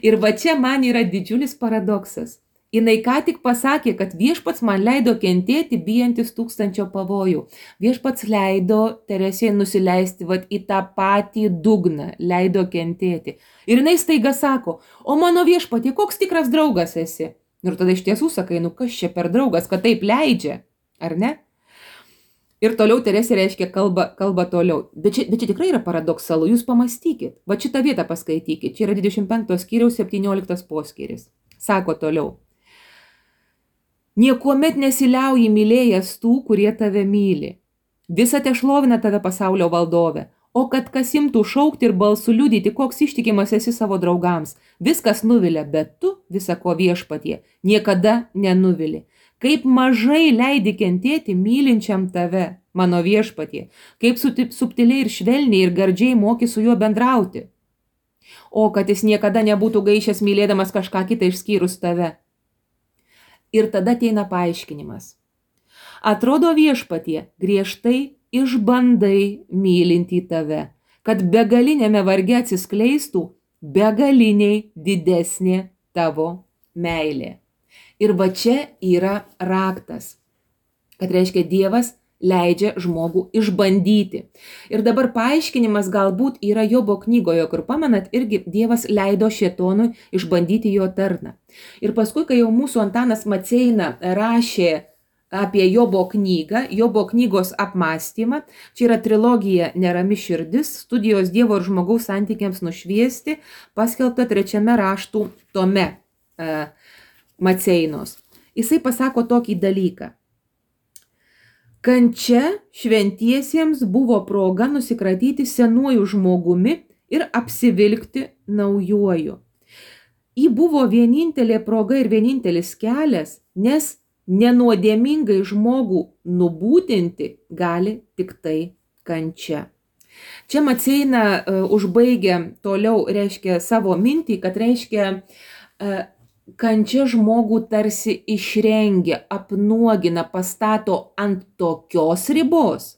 Speaker 1: Ir va čia man yra didžiulis paradoksas. Jinai ką tik pasakė, kad viešpats man leido kentėti, bijantis 1000 pavojų. Viešpats leido Teresei nusileisti į tą patį dugną, leido kentėti. Ir jinai staiga sako, o mano viešpatie, koks tikras draugas esi. Ir tada iš tiesų sakai, kas čia per draugas, kad taip leidžia, ar ne? Ir toliau Teresė reiškia kalba toliau. Bet čia tikrai yra paradoksalu, jūs pamastykit. Va šitą vietą paskaitykit, čia yra 25 skyriaus 17 poskyris. Sako toliau. Niekuomet nesiliauji mylėjęs tų, kurie tave myli. Visa te šlovina tave pasaulio valdove. O kad kas imtų šaukti ir balsu liudyti, koks ištikimas esi savo draugams. Viskas nuvilia, bet tu visako viešpatie niekada nenuvili. Kaip mažai leidi kentėti mylinčiam tave, mano viešpatie. Kaip subtiliai ir švelniai ir gardžiai moki su juo bendrauti. O kad jis niekada nebūtų gaišęs mylėdamas kažką kitą išskyrus tave. Ir tada ateina paaiškinimas. Atrodo viešpatie, griežtai išbandai mylinti tave, kad begalinėme varge atsiskleistų begaliniai didesnė tavo meilė. Ir va čia yra raktas, kad reiškia Dievas leidžia žmogų išbandyti. Ir dabar paaiškinimas galbūt yra Jobo knygoje, kur pamenat, irgi Dievas leido šėtonui išbandyti jo tarną. Ir paskui, kai jau mūsų Antanas Maceina rašė apie Jobo knygą, Jobo knygos apmąstymą, čia yra trilogija Nerami širdis, studijos Dievo ir žmogaus santykiams nušviesti, paskelbta 3 raštų tome Maceinos. Jisai pasako tokį dalyką. Kančia šventiesiems buvo proga nusikratyti senuoju žmogumi ir apsivilkti naujuoju. Ji buvo vienintelė proga ir vienintelis kelias, nes nenuodėmingai žmogų nubūtinti gali tik tai kančia. Čia Maceina užbaigia toliau, reiškia savo mintį, kad reiškia kančia žmogų tarsi išrengia, apnuogina, pastato ant tokios ribos,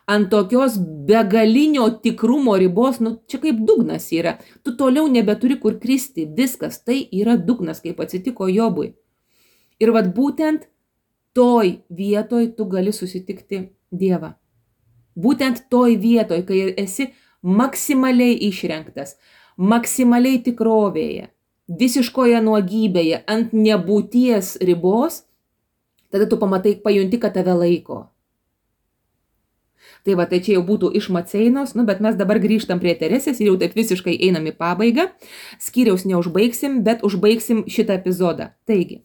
Speaker 1: ant tokios begalinio tikrumo ribos, čia kaip dugnas yra, tu toliau nebeturi kur kristi, viskas, tai yra dugnas, kaip atsitiko Jobui. Ir vat būtent toj vietoj tu gali susitikti Dievą. Būtent toj vietoj, kai esi maksimaliai išrenktas, maksimaliai tikrovėje, visiškoje nuogybėje, ant nebūties ribos, tada tu pamatai, pajunti, kad tave laiko. Tai va, tai čia jau būtų iš Maceinos, bet mes dabar grįžtam prie Teresės ir jau taip visiškai einam į pabaigą. Skyriaus neužbaigsim, bet užbaigsim šitą epizodą. Taigi,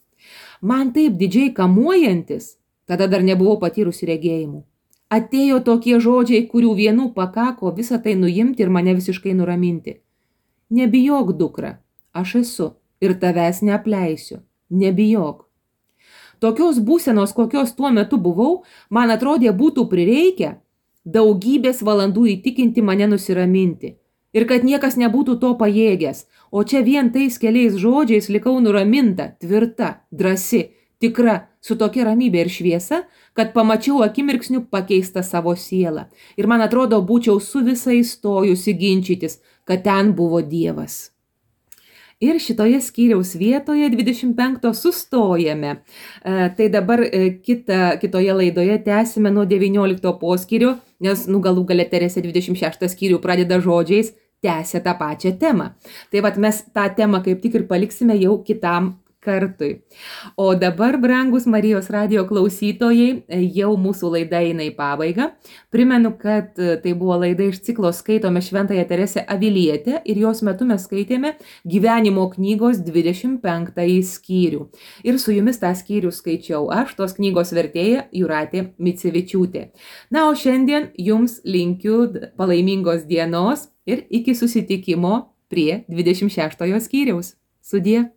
Speaker 1: man taip didžiai kamuojantis, tada dar nebuvau patyrusi regėjimų. Atėjo tokie žodžiai, kurių vienų pakako visą tai nuimti ir mane visiškai nuraminti. Nebijok, dukra, aš esu ir tavęs neapleisiu. Nebijok. Tokios būsenos, kokios tuo metu buvau, man atrodė būtų prireikę daugybės valandų įtikinti mane nusiraminti. Ir kad niekas nebūtų to pajėgęs. O čia vien tais keliais žodžiais likau nuraminta, tvirta, drąsi, tikra, su tokia ramybė ir šviesa, kad pamačiau akimirksniu pakeistą savo sielą. Ir man atrodo, būčiau su visai stojusi ginčytis, kad ten buvo Dievas. Ir šitoje skyriaus vietoje 25 sustojame. Tai dabar kitoje laidoje tęsime nuo 19 poskyrio, nes galų gale Teresė 26 skyrių pradeda žodžiais, tęsia tą pačią temą. Tai vat mes tą temą kaip tik ir paliksime jau kitam kartui. O dabar, brangus Marijos radijo klausytojai, jau mūsų laida eina į pabaigą. Primenu, kad tai buvo laida iš ciklo Skaitome Šventąją Teresę Avilietę ir jos metu mes skaitėme gyvenimo knygos 25 skyrių. Ir su jumis tą skyrių skaičiau aš, tos knygos vertėja Jūratė Micevičiūtė. Na, o šiandien jums linkiu palaimingos dienos ir iki susitikimo prie 26 skyriaus. Sudie.